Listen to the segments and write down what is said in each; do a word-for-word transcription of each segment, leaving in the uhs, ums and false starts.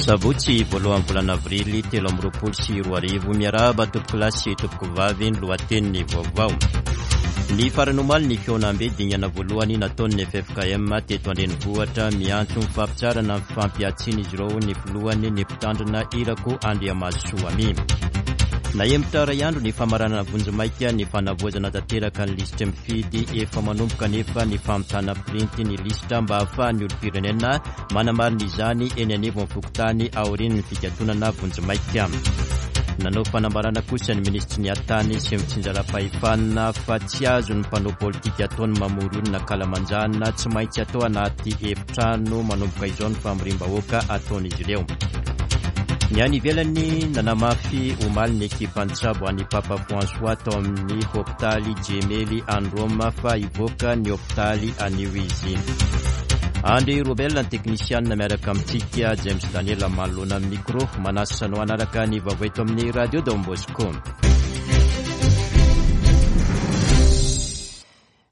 Sabotsy voalohan'ny volana avrily telo amby roapolo sy roa arivo. Miarahaba tompokolahy sy tompokovavy. Ny lohatenin'ny vaovao. Ny farany omaly ny fihaonambe dingana voalohany nataon'ny F F K M teto an-drenivohitra. Miantso ny fampitsaharana ny fampiatsiana izy ireo ny filohany, ny mpitandrina Irako Andriamahazosoa Amy. Nahemotra iray andro ny famaranana vonjimaika ny fanavaozana tanteraka ny lisitra mifidy. Efa manomboka nefa ny famitana printy ny lisitra mba hahafahan'ny olom-pirenena manamarina izany eny anivon'ny fokontany aorian'ny fikatonana vonjimaika. Nanao fanambarana kosa ny minisitry ny atany sy fitsinjaram-pahefana fa tsy azo ny mpanao politika ataony mamory olona ankalamanjana. Tsy maintsy atao anaty efitrano manomboka izao ny famorim-bahoaka ataon'izy ireo. Ny any ivelany, nanamafy omaly ny ekipa nitsabo any Papa François tao amin'ny hopitaly Gemelli any Roma fa hivoaka ny hopitaly anio izy. Andry Robel ny teknisianina miaraka amintsika, James Daniel manoloana amin'ny micro. Manasa anao hanaraka ny vaovao eto amin'ny Radio Don Bosco.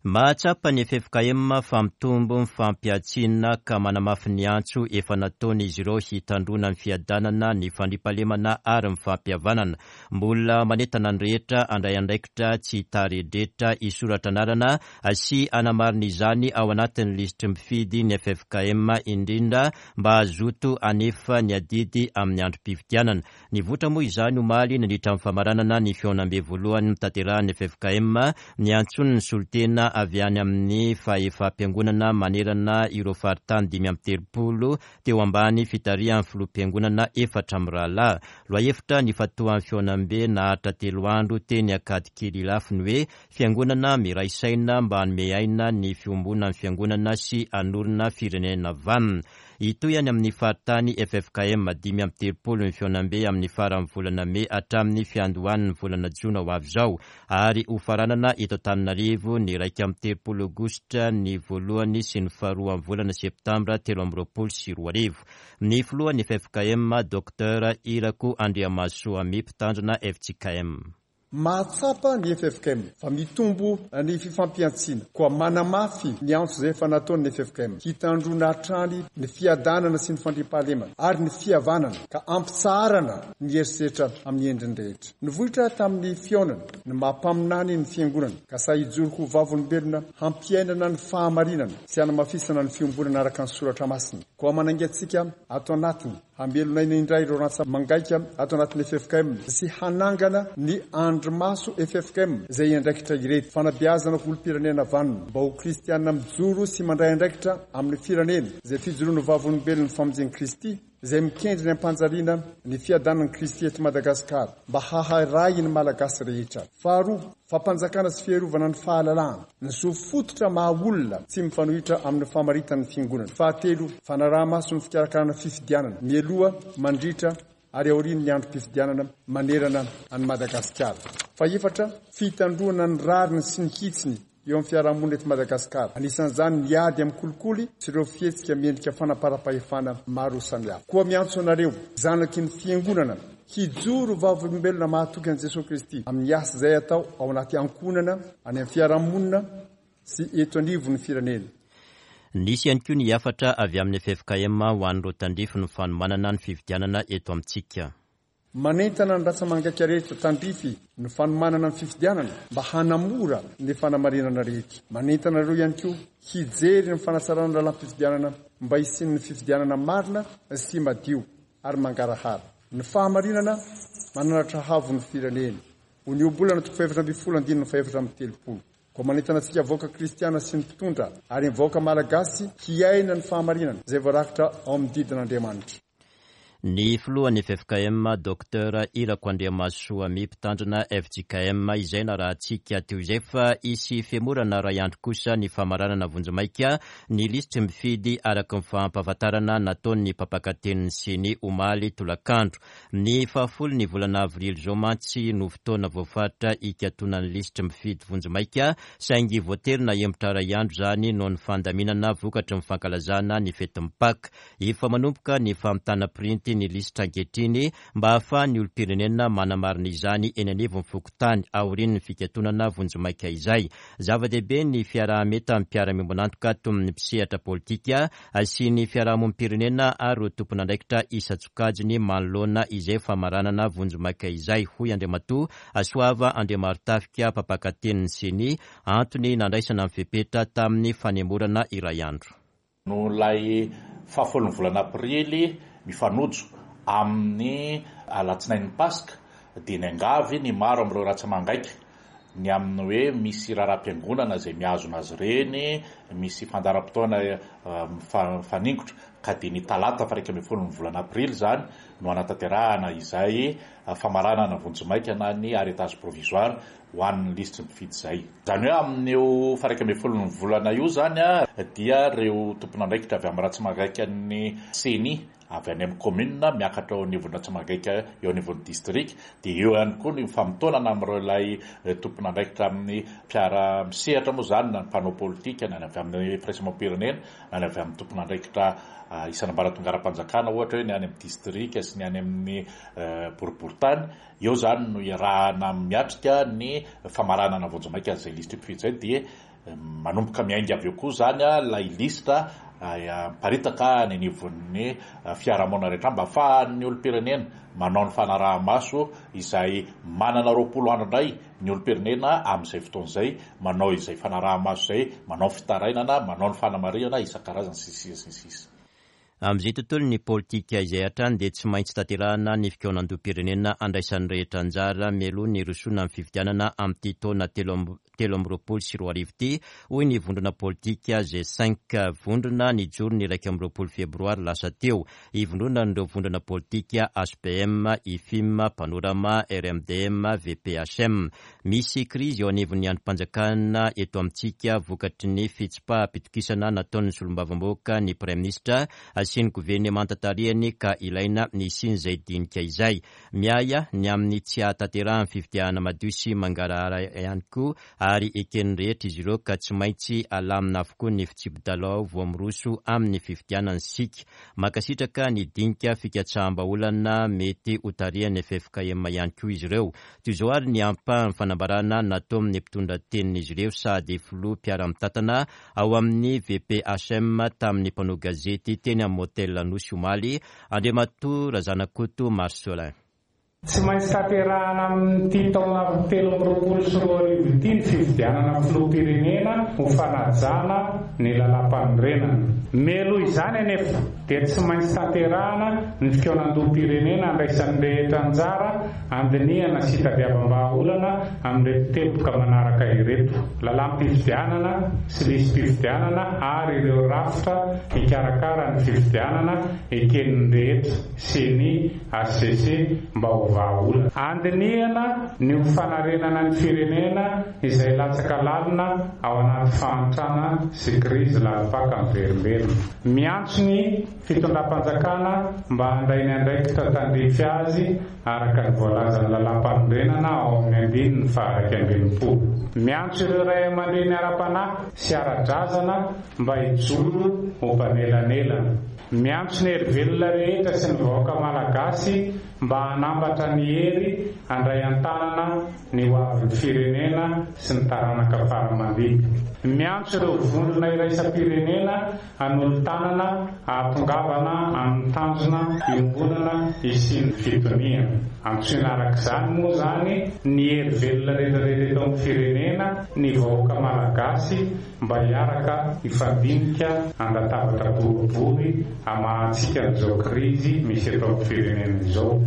Mahatsapa ny F F K M fa mitombo ny fampiatsiana ka manamafy ny antso efa nataony izy ireo hitandrona ny fiadanana, ny fandriampahalemana ary ny fampihavanana. Mbola manentana ny rehetra handray andraikitra, tsy hitaredretra, hisoratra anarana sy hanamarina izany ao anatin'ny lisitry mifidy ny F F K M, indrindra mba hazoto hanefa ny adidy amin'ny androm-pifidianana. Nivoitra moa izany omaly nandritra ny famaranana ny fihaonambe voalohany notanterahan'ny F F K M, ny antsony ny solontena avy any amin'ny fahefam-piangonana manerana ireo faritany dimy amby telopolo teo ambany fitarihan'ny filoham-piangonana efatra amin'ny rahalahy. Lohahevitra nifantohan'ny fihaonambe naharitra telo andro teny Ankadikely Ilafy ny hoe fiangonana miray saina mba hanome aina ny fiombonan'ny fiangonana sy hanorina firenena vanona. Hitohy any amin'ny faritany F F K M dimy amby telopolo ny fihaonambe amin'ny faran'ny volana mey hatramin'ny fiandohan'ny volana jona ho avy izao, ary hofaranana eto Antananarivo ny iraika amby telopolo aogositra, ny voalohany sy ny faharoa amin'ny volana septambra telo amby roapolo sy roa arivo. Ny filohan'ny F F K M, Docteur Irako Andriamahazosoa Amy, mpitandrina F J K M. Mahatsapa ny F F K M fa mitombo ny fifampiantsiana, koa manamafy ny antso izay efa nataon'ny F F K M hitandrona hatrany ny fiadanana sy ny fandriampahalemana ary ny fihavanana ka ampitsaharana ny herisetra amin'ny endriny rehetra. Nivoitra tamin'ny fihaonana ny mampaminany ny fiangonana ka sahy hijoro ho vavolombelona hampiainana ny fahamarinana sy hanamafisana ny fiombonana araka ny Soratra Masina. Koa manainga antsika ato anatiny hamelona aina indray ireo rantsa-mangaika ato anatin'ny F F K M sy hanangana ny andrimaso F F K M izay andraikitra ireto: fanabeazana ho olom-pirenena vanona mba ho kristianina mijoro sy mandray andraikitra amin'ny firenena, izay fijoroana vavolombelon'ny famonjen'i Kristy, izay mikendry ny ampanjariana ny fiadanan'i Kristy eto Madagasikara mba haharay ny Malagasy rehetra. Faharoa, fampanjakana sy fiarovana ny fahalalahana, ny zo fototra maha olona tsy mifanohitra amin'ny famaritan'ny fiangonana. Fahatelo, fanaraha-maso ny fikarakarana fifidianana mialoha, mandritra ary aorian'ny androm-pifidianana manerana any Madagasikara. Faefatra, fitandroana ny rariny sy ny hitsiny eo amin'ny fiarahamonina eto Madagasikara, anisan'izany ny ady amin'ny kolikoly sy ireo fihetsika miendrika fanaparam-pahefana maro samihafa. Koa miantso anareo zanaky ny fiangonana hijoro vavolombelona mahatoky an' Jesosy Kristy amin'ny asa izay atao ao anaty ankohonana, any amin'ny fiarahamonina sy eto anivon'ny firenena. Nisy ihany koa ny hafatra avy amin'ny F F K M ho an'ireo tandrify ny fanomanana ny fifidianana eto amintsika. Manentana ny rantsa-mangaika rehetra tandrify ny fanomanana ny fifidianana mba hanamora ny fanamarinana rehetra. Manentana ireo ihany koa hijery ny fanatsarana ny lalam-pifidianana mba hisian'ny fifidianana marina sy madio ary mangarahara. Ny fahamarinana mananatra avo ny firenena, ho ny Ohabolana toko fahefatra amby folo andininy fahefatra amby telopolo. Koa manentana antsika vahoaka kristiana sy ny mpitondra ary ny vahoaka malagasy hiaina ny fahamarinana izay voarakitra ao amin'ny didin'Andriamanitra. Ny filohan'ny F F K M, Docteur Irako Andriamahazosoa Amy, mpitandrina F J K M, izay narahantsika teo izay. Fa hisy fihemorana iray andro kosa ny famaranana vonjimaika ny lisitry mifidy, araka ny fampahafantarana nataon'ny mpampakatenin'ny CENI omaly tolakandro. Ny fahafolo ny volana avrily zao mantsy no fotoana voafaritra hikatonan'ny lisitry mifidy vonjimaika, saingy voatery nahemotra iray andro zany noho ny fandaminana vokatry ny fankalazana ny fetin'ny Paka. Efa manomboka ny famitana printy. gazety ny lisitra ankehitriny mba hahafahan'ny olom-pirenena manamarina izany eny anivon'ny fokontany aorian'ny fikatonana vonjimaika izay. Zava-dehibe ny fiaraha-mientan'ny mpiara-miombon'antoka toy ny mpisehatra politika sy ny fiarahamonim-pirenena ary ireo tompon'andraikitra isan-tsokajiny manoloana izay famaranana vonjimaika izay, hoy Andriamatoa Soava Andriamarotafika, mpampakatenin'ny CENI, antony nandraisana ny fepetra tamin'ny fanemorana iray andro. Noho ilay fahafolon'ny volana aprily mifanojo amin'ny alatsinain'ny Paska dia niangavy ny maro amin'ireo ratsa-mangaika ny amin'ny hoe misy raharaham-piangonana izay mihazona azy ireny, misy fandaharam-potoana mifaningotra, ka dia ny talata faha iraika ambin'ny folon'ny volana aprily izany no hanatanterahana izay famaranana vonjimaika na ny arrêtage provisoire ho an'ny lisitry ny mpifidy izay. Izany hoe amin'io faha iraika ambin'ny folon'ny volana io izany dia ireo tompon'andraikitra avy amin'ny ratsa-mangaikan'ny CENI avy any amin'ny commune miakatra eo anivon'ny ratsa-mangaika eo anivon'ny district, dia eo ihany koa ny famotoanana amin'ireo ilay tompon'andraikitra amin'ny mpiara-misehatra moa izany, na ny mpanao politika, na ny avy amin'ny firaisamonim-pirenena, na ny avy amin'ny tompon'andraikitra isan'ambaratonga ara-panjakana, ohatra hoe ny any amin'ny district sy ny any amin'ny boriborintany. Eo izany no iarahana miatrika ny famaranana vonjimaika izay lisitry mpifidy izay, dia manomboka miainga avy eo koa izany ilay lisitra miparitaka any anivon'ny fiarahamonina rehetra mba ahafahan'ny olom-pirenena manao ny fanaraha-maso izay manana roapolo andro indray ny olom-pirenena amin'izay fotoana izay, manao izay fanaraha-maso izay, manao fitarainana, manao ny fanamarihana isan-karazany sy ny sisa sy ny sisa. Amin'izay tontolo ny politika izay hatrany dia tsy maintsy tanterahana ny fikaonandoham-pirenena andraisan'ny rehetra anjara mialoha ny hirosoana amin'ny fifidianana amin'ity taona telo amby roapolo sy roa arivo ity, hoy ny vondrona politika G cinq, vondrona nijoro ny iraika amby roapolo febroary lasa teo. Ivondronan'ireo vondrona politika H P M, I F I M, Panorama, R M D M, V P H M. Misy krizy eo anivon'ny andrim-panjakana eto amintsika vokatry ny fitsipaham-pitokisana nataon'ny solombavambahoaka ny praiminisitra sy ny governemanta tarihany ka ilaina ny hisian'izay dinika izay. Miahy ny amin'ny tsy hahatanterahan'ny fifidianana madio sy mangarahara ihany koa ary eken'ny rehetra izy ireo ka tsy maintsy alamina avokoa ny fitsipi-dalao vao miroso amin'ny fifidianana isika. Mankasitraka ny dinika fikatsaham-bahaolana mety ho tarihan'ny F F K M ihany koa izy ireo. Toy izao ary ny ampahan'ny fanambarana nataon'ny mpitondra tenin'izy ireo sady filoha mpiara-mitantana ao amin'ny V P H M tamin'ny mpanao gazety teny amin'ny Motel Anosy omaly, Andriamatoa Razanakoto Marcelin. Tsy maintsy tanterahana amin'ity taona telo amby roapolo sy roa arivo ity ny fifidianana filoham-pirenena ho fanajana ny lalàm-panorenana. Mialoha izany anefa dia tsy maintsy tanterahana ny fikaonandoham-pirenena andraisan'ny rehetra anjara andinihana sy hitadiavam-bahaolana amin'ireto teboka manaraka ireto: lalàm-pifidianana sy lisi-pifidianana ary ireo rafitra hikarakara ny fifidianana eken'ny rehetra, CENI, H C C, mba ho vahaolana. Andinihana ny ho fanarenana ny firenena izay latsaka lalina ao anaty fahantrana sy krizy lalim-paka miverimberina. Miantso ny fitondram-panjakana mba handray ny andraikitra tandrify azy araka ny voalazan'ny lalàm-panorenana ao amin'ny andininy faha iraika amby enimpolo. Miantso ireo ray aman-dreny ara-panahy sy ara-drazana mba hijoro ho mpanelanelana. Miantso ny hery velona rehetra sy ny vahoaka malagasy mba hanambatra ny hery handray an-tanana ny ho avin'ny firenena sy ny taranaka faramandimby. Miantso ireo vondrona iraisam-pirenena hanolo-tanana hahatongavana amin'ny tanjona iombonana hisian'ny fitoniana. Antsoina araka izany moa izany ny hery velona rehetrarehetra eto amin'ny firenena, ny vahoaka malagasy mba hiaraka hifandinika an-databatra boribory hamahantsika an'izao krizy misy eto amin'ny firenena izao.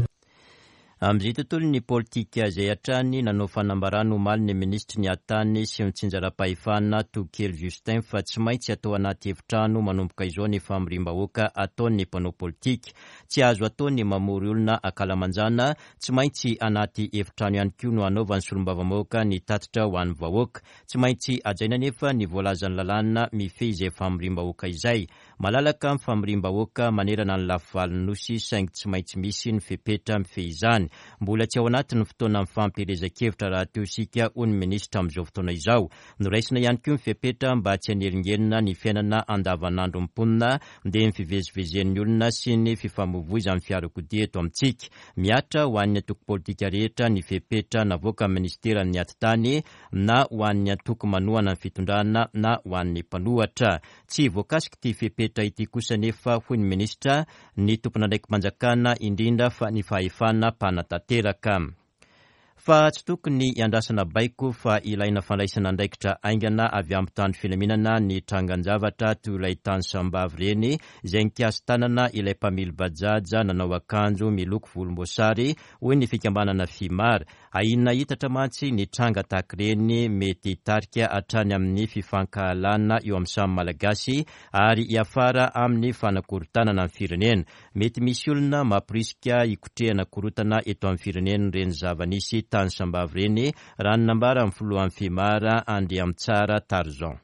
Amin'izay tontolo ny politika izay hatrany nanao fanambarana omaly ny minisitry ny Atany sy ny tsinjaram-pahefana Tokely Justin fa tsy maintsy atao anaty efitrano manomboka izao ny famoriam-bahoaka ataon'ny mpanao politika. Tsy azo atao ny mamory olona ankalamanjana, tsy maintsy anaty efitrano ihany koa no hanaovan'ny solombavambahoaka ny tatitra ho an'ny vahoaka. Tsy maintsy hajaina anefa ny voalazan'ny lalàna mifehy izay famoriam-bahoaka izay. Malalaka ny famoriam-bahoaka manerana ny lafivalon'ny nosy, saingy tsy maintsy misy ny fepetra mifehy izany. Mbola tsy ao anatin'ny fotoana mifampielezan-kevitra rahateo isika, hoy ny minisitra amin'izao fotoana izao. Noraisina ihany koa ny fepetra mba tsy hanelingelina ny fiainana andavanandro mponina, dia ny fivezivezen'ny olona sy ny fifamoivoizan'ny fiarakodia eto amintsika. Mihatra ho an'ny antoko politika rehetra ny fepetra navoaka amin'ny ministeran'ny atitany, na ho an'ny antoko manohana ny fitondrana na ho an'ny mpanohitra. Tsy voakasika ity fepetra ity kosa nefa, hoy ny minisitra, ny tompon'andraiki-panjakana, indrindra fa ny fahefana mpanatanteraka. Fa tsy tokony hiandrasana baiko fa ilaina fandraisana andraikitra haingana avy amin'ny mpitandro filaminana ny trangan-javatra toy ilay tany Sambavy ireny, izay nikasi-tanana ilay mpamily bajaja nanao akanjo miloko volomboasary, hoy ny fikambanana FIMAR. Ahiana hitatra mantsy ny tranga tahaka ireny mety hitarika hatrany amin'ny fifankahalana eo amin'ny samy Malagasy ary hiafara amin'ny fanakorontanana ny firenena. Mety misy olona mamporisika hikotrehana korontana eto amin'ny firenena ireny zava-nisy tany Sambavy ireny, raha ny nambaran'ny filohan'ny FIMAR, Andriamitsara Tarzan.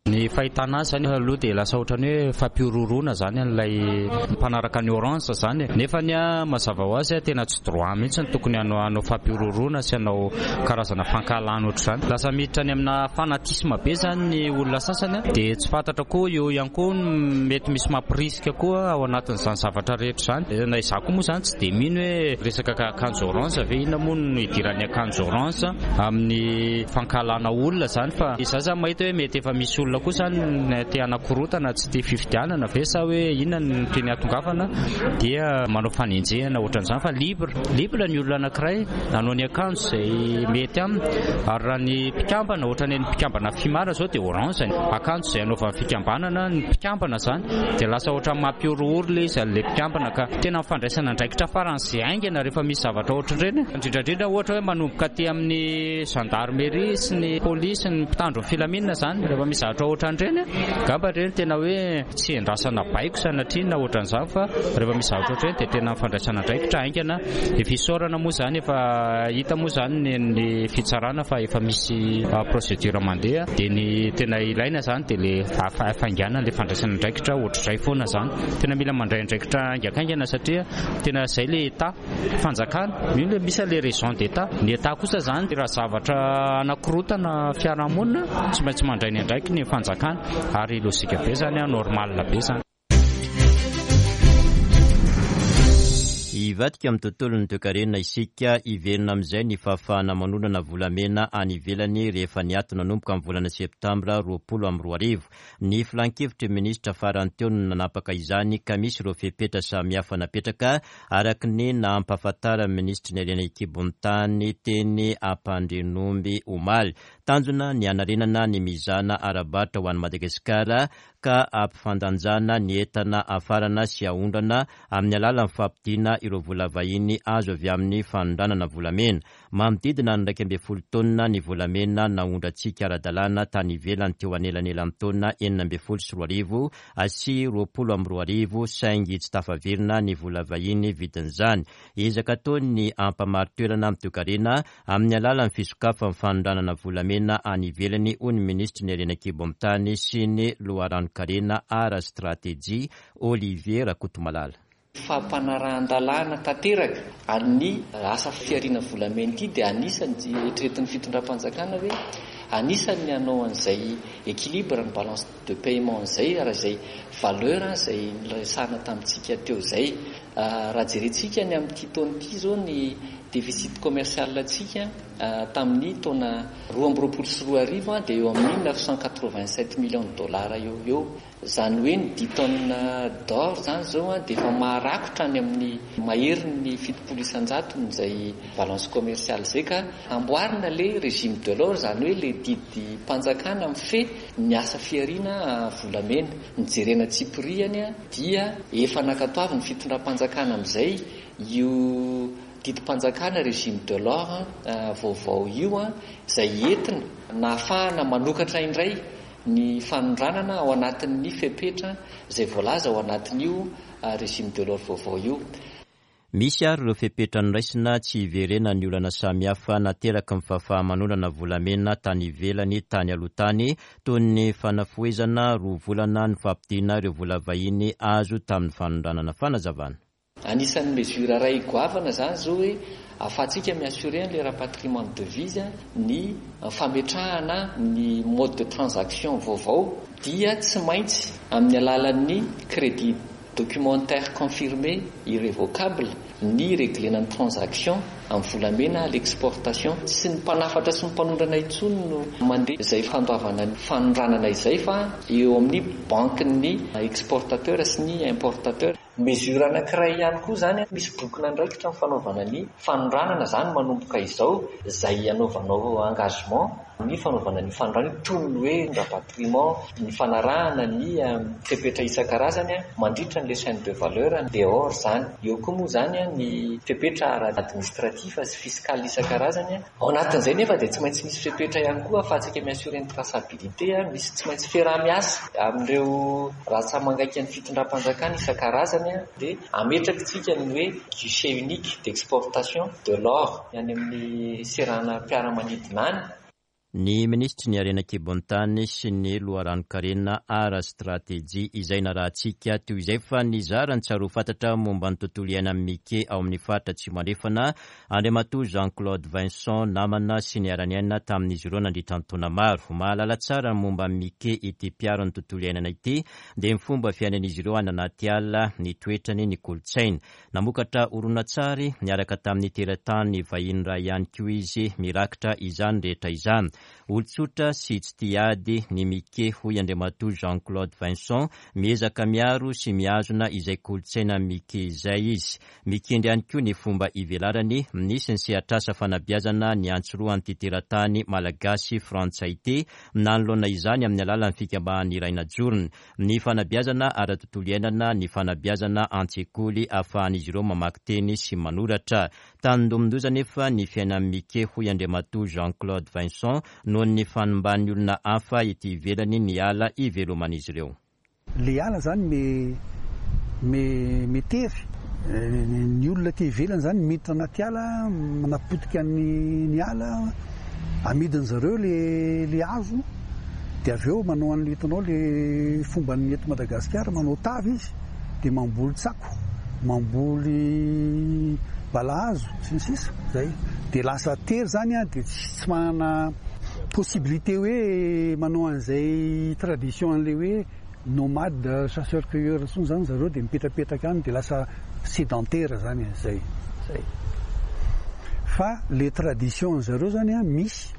Ny fahitana azy zany aloha dia lasa ohatrany hoe fampihorohoroana zany an'ilay mpanaraka ny orange zany, nefa ny a mazava ho azy tena tsy droit mihitsy ny tokony hanao hanao fampihorohoroana sy hanao karazana fankahalana ohatr'izany. Lasa miditra any amina fanatisme be zany ny olona sasany, dia tsy fantatra koa eo ihany koa mety misy mampirisika koa ao anatin'izany zavatra rehetra izany. Na izaho koa moa zany tsy dia mino hoe resaka akanjo orange ve, inona moa no idiran'ny akanjo orange amin'ny fankahalana olona zany, fa izaho zany mahita hoe mety efa misy olona koa zany te hanakorotana, tsy te fifidianana ve sa hoe inona no tiany hahatongavana, dia manao fanenjehana ohatran'izany. Fa libre libre ny olona anankiray hanao ny akanjo izay mety aminy. Ary raha ny mpikambana, ohatran'ny ny mpikambana FIMAR zao dia orange ny akanjo izay anaovan'ny fikambanana ny mpikambana zany, dia lasa ohatran'ny mampihorohoro ilay izy an'ilay mpikambana. Ka tena mifandraisana andraikitra faran'izay haingana rehefa misy zavatra ohatran'ireny, indrindrandrindra ohatra hoe manomboka aty amin'ny gendarmerie sy ny polisy ny mpitandro ny filaminana zany, rehefa misy zavatra ohatran'ireny gamba ireny tena hoe tsy endrasana baiko sanatria na ohatran'izany, fa rehefa misy zavatra ohatran'ireny dia tena mifandraisana andraikitra haingana. Efa isaorana moa zany, efa hita moa zany ny fitsarana fa efa misy procédure mandeha, dia ny tena ilaina zany dia le fahafaingana le fandraisana andraikitra ohatr'izay foana zany. Tena mila mandray andraikitra haingakaingana satria tena zay le état fanjakana io, le misy le raison d'état. Ny état kosa zany raha zavatra anakorotana fiarahamonina tsy maintsy mandray ny andraikiny ny fanjakana, ary logika be zany, normal be zany. Hivadika amin'ny tontolon'ny toekarena isika, hiverina amin'izay ny fahafahana manondrana volamena any ivelany rehefa niato nanomboka amin'ny volana septambra roapolo amby roa arivo. Ny filankevitry ny minisitra farany teo no nanapaka izany, ka misy ireo fepetra samihafa napetraka araka ny nampahafantaran'ny minisitry ny harena an-kibon'ny tany teny Ampandrianomby omaly. Tanjona ny hanarenana ny mizana ara-barotra ho an'i Madagasikara ka hampifandanjana ny entana hafarana sy haondrana amin'ny alalan'ny fampidina ireo vola vahiny azo avy amin'ny fanondranana volamena. Manodidina ny iraika ambin'ny folo taonina ny volamena naondrantsika ara-dalàna tany ivelany teo anelanelan'ny taona enina ambin'ny folo sy roa arivo sy roapolo amby roa arivo, saingy tsy tafaverina ny vola vahiny vidin'izany. Ezaka ataony ny hampamari-toerana amin'ny toekarena amin'ny alalan'ny fisokafan'ny fanondranana volamena any ivelany, hoy ny minisitry ny harena an-kibon'ny tany sy ny loharanon-karena ara-stratejia, Olivier Rakotomalala. Fampanarahan-dalàna tanteraka amin'ny asa fihariana volamena ity dia anisan'ny eritreretin'ny fitondram-panjakana hoe anisan'ny hanao an'izay équilibre ny balance de paiement izay, raha izay valeur izay niresahana tamintsika teo izay. Raha jerentsika ny amin'ity taona ity izao ny déficit commercial antsika tamin'ny taona roa amby roapolo sy roa arivo dia eo amin'ny neuf cent quatre-vingt-sept millions de dollars eo eo. Izany hoe ny dix tonnes d'or zany izao dia efa maharakotra any amin'ny maherin'ny fitopolo isan-jatony izay balance commerciale izay, ka amboarina le régime de l'or, izany hoe le didim-panjakana mifehy ny asa fihariana volamena. Ny jerena tsipiriany dia efa nankatoavy ny fitondram-panjakana amin'izay io didim-panjakana régime de l'or vaovao io, izay entina nahafahana manokatra indray ny fanondranana ao anatin'ny fepetra izay voalaza ao anatin'io régime de l'or vaovao io. Misy ary ireo fepetra noraisina tsy hiverenan'ny olana samihafa nateraky ny fahafaha-manondrana volamena tany ivelany tany aloha tany, toy ny fanafohezana roa volana ny fampidina ireo vola vahiny azo tamin'ny fanondranana. Fanazavana. Anisan'ny mesure iray goavana zany zao hoe ahafahantsika mi-assurer le rapatriement de devise, ny fametrahana ny mode de transaction vaovao dia tsy maintsy amin'ny alalan'ny crédit documentaire confirmé irrévocable ny réglena ny transaction amin'ny volamena à l'exportation. Tsy ny mpanafatra sy ny mpanondrana intsony no mandeha izay fandoavana ny fanondranana izay fa eo amin'ny banque-n'ny exportateur sy ny importateur. Mesure anankiray ihany koa zany, misy bokin'andraikitra ny fanaovana ny fanondranana zany manomboka izao, izay anaovanao engagement ny fanaovana ny fanondranana toy ny hoe rapatriement, ny fanarahana ny fepetra isan-karazany mandritra ny chaîne de valeur dehors zany. Eo koa moa zany ny fepetra ara-administratif sy fiscal isan-karazany. Ao anatin'izay nefa dia tsy maintsy misy fepetra ihany koa ahafahantsika mi-assurer ny traçabilité, misy tsy maintsy fiaraha-miasa amin'ireo ratsa-mangaika ny fitondram-panjakana isan-karazany, dia ametrakitsika ny hoe guichet unique d'exportation de l'or any amin'ny seranam-piaramanidina any. Ny minisitry ny harena an-kibon'ny tany sy ny loharanon-karena ara-stratejia izay narahantsika teo izay fa nizara ny tsara ho fantatra momba ny tontolo iainan'ny Mike ao amin'ny faritra Atsimo Andrefana Andriamatoa Jean-Claude Vincent, namana sy niara-niaina tamin'izy ireo nandritra ny taona maro. Mahalala tsara ny momba ny Mike ity mpiaro ny tontolo iainana ity, dia ny fomba fiainan'izy ireo any anaty ala, ny toetrany, ny kolontsaina. Namokatra horonantsary niaraka tamin'ny teratany vahiny iray ihany koa izy mirakitra izany rehetra izany. Olon-tsotra sy tsy tia ady ny Mike, hoy Andriamatoa Jean-Claude Vincent, miezaka miaro sy mihazona izay kolontsaina Mike izay izy. Mikendry ihany koa ny fomba ivelarany, nisy ny sehatrasa fanabeazana ny antsiroan'ity teratany malagasy frantsay ity, nanoloana izany amin'ny alalan'ny fikambanana iray najorony. Ny fanabeazana ara-tontolo iainana, ny fanabeazana an-tsekoly ahafahan'izy ireo mamaky teny sy manoratra. Tandindomin-doza nefa ny fiainan'ny Mike, hoy Andriamatoa Jean-Claude Vincent, noho ny fanimban'ny olona hafa ety ivelany ny ala iveloman'izy ireo. Le ala zany me me metery ny olona ty ivelany zany miditra anaty ala, manapotika ny ny ala, amidiny zareo le le hazo, dia avy eo manao an'le hitanao le fomban'ny eto Madagasikara, manao tavy izy dia mamboly tsako, mamboly balahazo sy ny sisa zay, dia lasa tery zany a, dia tsy manana possibilité hoe manao an'izay tradition an'le hoe nomade chasseur cueilleur intsony zany zareo, dia mipetrapetraka any dia lasa sédentaire zany zay zay. Fa le tradition zareo zany a misy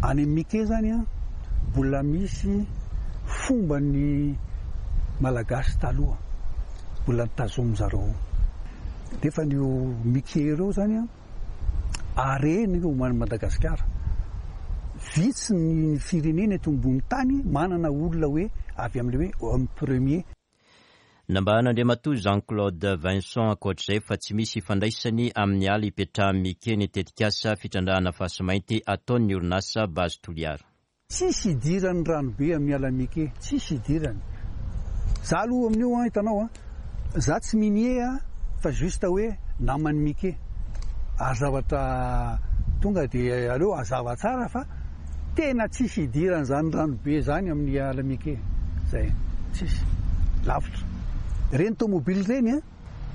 any amin'ny Mike zany a, mbola misy fomba ny malagasy taloha mbola nitazomy zareo, nefa ny Mike ireo zany a areny io Madagasikara. Vitsy ny firenena eto ambony tany manana olona hoe avy amin'le hoe homme premier. Nambaran'Andriamatoa Jean-Claude Vincent ankoatr'izay fa tsy misy ifandraisany amin'ny ala ipetrahan'ny Mike ny tetikasa fitrandrahana fasimainty ataon'ny orinasa Base Toliara. Tsisy idirany ranobe amin'ny ala Mike, tsisy idirany. Za aloha amin'io a, hitanao a, za tsy minier a, fa juste hoe naman'ny Mike. Ary zavatra tonga dia aleo hazava tsara fa tena tsisy idirany zany ranobe zany amin'ny ala Mike. Zay, tsisy. Lavitra. Reny tomobily reny a,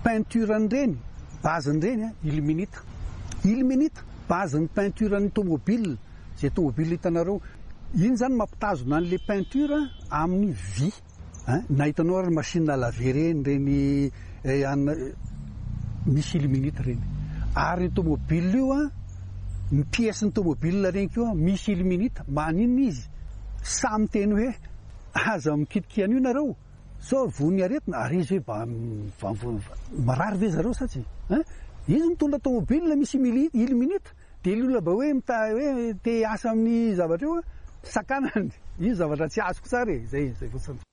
peinture reny, base reny a, ilménite. Ilménite, base ny peinture ny tomobile. Zay tomobile hitanareo, iny zany mampitazona an'le peinture amin'ny vy. Na hitanao ary machine à laver reny, reny misy ilménite reny. Ary ny tomobile io a, ny pièce ny tomobile reny koa misy ilménite, maninona izy? Samy teny hoe aza mikitiky an'io nareo, sao voan'ny aretina, ary izy hoe marary ve zareo sa tsy? Izy mitondra tomobile misy ilménite, dia ny olona mba hoe mita hoe te hiasa amin'ny zavatra io sakanany. Io zavatra tsy azoko tsara e, zay zay fotsiny.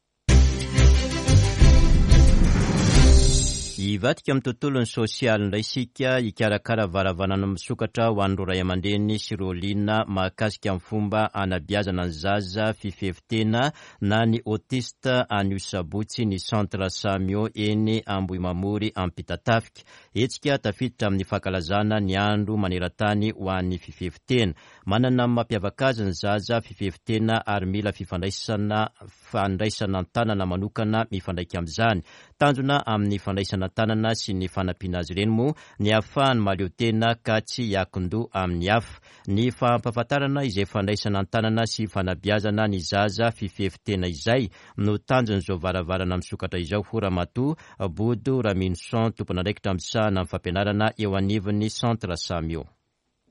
Hivadika amin'ny tontolon'ny sosialy indray isika, hikarakara varavarana misokatra ho an'ireo ray aman-dreny sy ireo liana mahakasika amin'ny fomba anabeazana ny zaza fifefitena na ny autiste anio sabotsy ny Centre Samio eny Ambohimamory Ampitatafika. Hetsika tafiditra amin'ny fankalazana ny andro maneran-tany ho an'ny fifefitena. Manana ny mampiavaka azy ny zaza fifefitena ary mila fifandraisana fandraisana an-tanana manokana mifandraika amin'izany. Tanjona amin'ny fandraisana an-tanana sy ny fanampiana azy ireny moa ny ahafahany mahaleo tena ka tsy hiankin-doha amin'ny hafa. Ny fampahafantarana izay fandraisana an-tanana sy fanabeazana ny zaza fifefitena izay no tanjon'izao varavarana misokatra izao, hoy Ramatoa Bodo Raminoson, tompon'andraikitra misahana amin'ny fampianarana eo anivon'ny Centre Samio.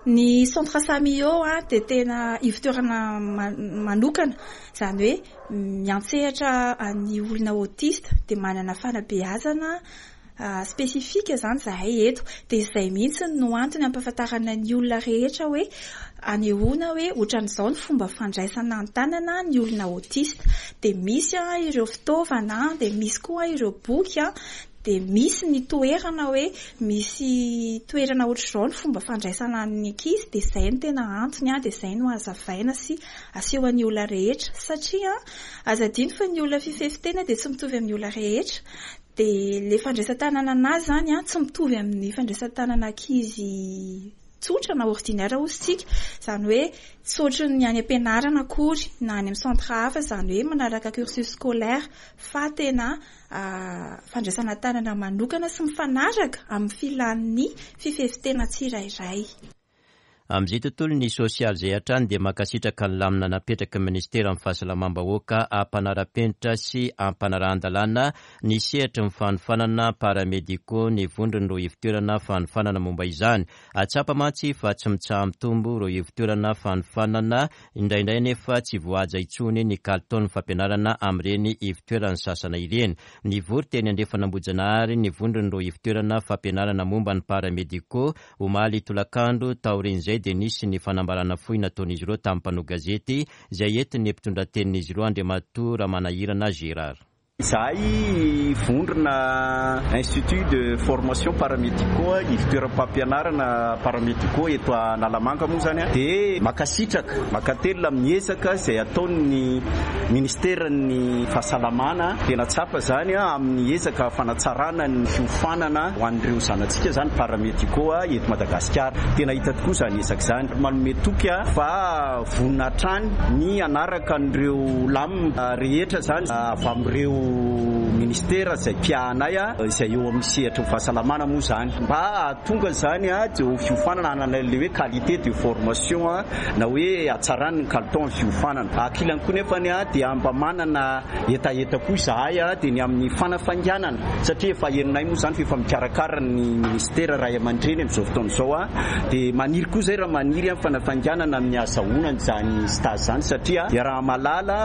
Ny Centre Samio a dia tena ivon-toerana manokana, izany hoe miantsehatra ny olona autiste dia manana fanabeazana spesifika izany izahay eto. Dia izay mihitsy no antony ampahafantarana ny olona rehetra hoe anehoana hoe ohatran'izao ny fomba fandraisana an-tanana ny olona autiste. Dia misy ireo fitaovana, dia misy koa ireo boky, dia misy ny toerana hoe misy toerana ohatr'izao ny fomba fandraisana ny ankizy. Dia izay no tena antony, dia izay no hazavaina sy aseho an'ny olona rehetra, satria aza adino fa ny olona fifefitena dia tsy mitovy amin'ny olona rehetra. Dia ilay fandraisan-tanana anazy izany tsy mitovy amin'ny fandraisan-tanana ankizy tsotra na ordinaire hoy isika, izany hoe tsy ohatran'ny any am-pianarana akory na any amin'ny centre hafa, izany hoe manaraka cursus scolaire, fa tena fandraisana tanana manokana sy mifanaraka amin'ny filan'ny fifefitena tsirairay. Amin'izay tontolo ny sosialy izay hatrany dia mankasitraka ny lamina napetraky ny ministeran'ny fahasalamam-bahoaka hampanara-penitra sy hampanarahan-dalàna ny sehatry ny fanofanana paramédicaux ny vondron'ireo ivon-toerana fanofanana momba izany. Atsapa mantsy fa tsy mitsaha-mitombo ireo ivon-toerana fanofanana, indraindray nefa tsy voahaja intsony ny kalitaon'ny fampianarana amin'ireny ivon-toerana sasana ireny. Nivory teny Andrefan'Ambohijanahary ny vondron'ireo ivon-toerana fampianarana momba ny paramédicaux omaly tolakandro. Taorian'izay dia nisy ny fanambarana fohy nataon'izy ireo tamin'ny mpanao gazety izay entin'ny mpitondra tenin'izy ireo Andriamatoa Ramanahirana Gérard. Izahay vondrona Institut de formation paramédicaux, ivon-toeram-pampianarana paramédicaux eto Analamanga moa izany dia mankasitraka, mankatelina amin'ny ezaka izay ataon'ny ministeran'ny fahasalamana. Tena tsapa izany amin'ny ezaka fanatsarana ny fiofanana ho an'ireo zanatsika izany paramédicaux eto Madagasikara. Tena hita tokoa izany ezaka izany. Manome toky fa vonona hatrany ny hanaraka an'ireo lamina rehetra izany avy amin'ireo ministera izay mpiahanay izay eo amin'ny sehatry ny fahasalamana moa izany, mba hahatonga izany dia ho fiofanana hanana ilay hoe qualité de formation na hoe hatsarany ny kalitao amin'ny fiofanana. Ankilany koa nefa dia mba manana hetaheta koa izahay dia ny amin'ny fanafainganana, satria efa henonay moa izany fa efa mikarakara ny ministera ray aman-dreny amin'izao fotoana izao, dia maniry koa izay raha maniry amin'ny fanafainganana amin'ny ahazahoana izany stage izany, satria raha mahalala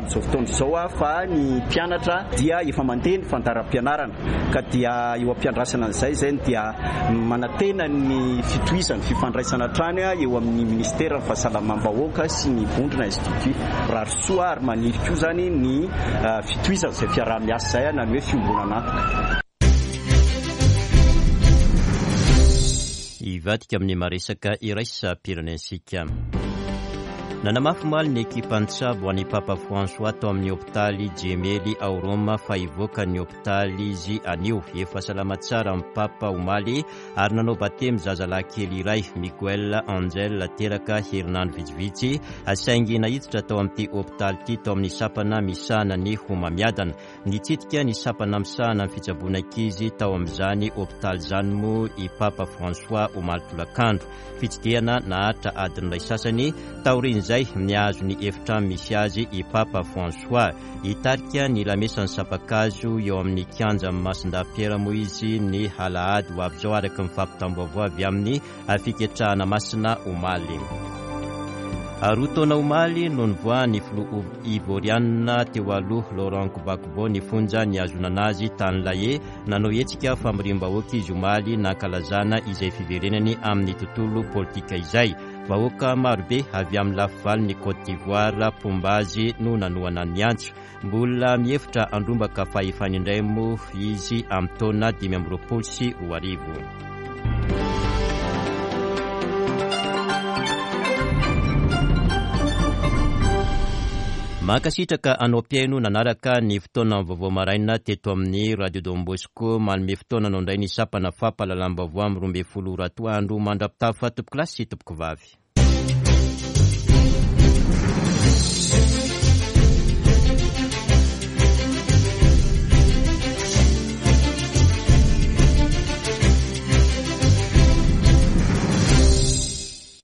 amin'izao fotoana izao fa ny mpianatra dia efa mandeha ny fandaharam-pianarana, ka dia eo am-piandrasana an'izay izay dia manantena ny fitohizan'ny fifandraisana hatrany eo amin'ny ministeran'ny fahasalamam-bahoaka sy ny vondrona institut. Rary soa ary maniry koa izany ny fitohizan'izay fiaraha-miasa izay na ny hoe fiombonan'antoka. Hivadika amin'ny maresaka iraisam-pirenentsika. Nanamafy omaly ny ekipan'ny tsabo an'i Papa François tao amin'ny hopitaly Gemelli ao Roma fa hivoaka ny hopitaly izy anio. Efa salama tsara ny Papa omaly ary nanao batemy zazalahy kely iray, Miguel Angel, teraka herinandro vitsivitsy, saingy nahiditra tao amin'ity hopitaly ity tao amin'ny sampana misahana ny homamiadana. Nitsidika ny sampana misahana ny fitsaboana ankizy tao amin'izany hopitaly izany moa i Papa François omaly tolakandro. Fitsidihana naharitra adiny iray sasany. Taorian'izay nihazo ny efitrano misy azy i Papa François. Hitarika ny lamesan'ny sampan-kazo eo amin'ny kianja Masindahy-Piera moa izy ny alahady ho avy izao, araka ny fampitam-baovao avy amin'ny fiketrahana masina omaly. Roa taona omaly no nivoahan'ny filoha ivorianina teo aloha Laurent Gbagbo ny fonja nihazonana azy tany La Haye. Nanao hetsika famoriam-bahoaka izy omaly nankalazana izay fiverenany amin'ny tontolo politika izay. Vahoaka marobe avy amin'ny lafivalon'ny Côte d'Ivoire mpomba azy no nanohana ny antso. Mbola mihevitra handrombaka fahefana indray moa izy amin'ny taona dimy amby roapolo sy roa arivo. Mankasitraka anao mpihaino nanaraka ny fotoana vaovao maraina teto amin'ny Radio Don Bosco. Manome fotoana anao indray ny sampana fampahalalam-baovao amin'ny roa ambin'ny folo ora atoandro. Mandra-pitafa tompoko lahy sy tompoko vavy.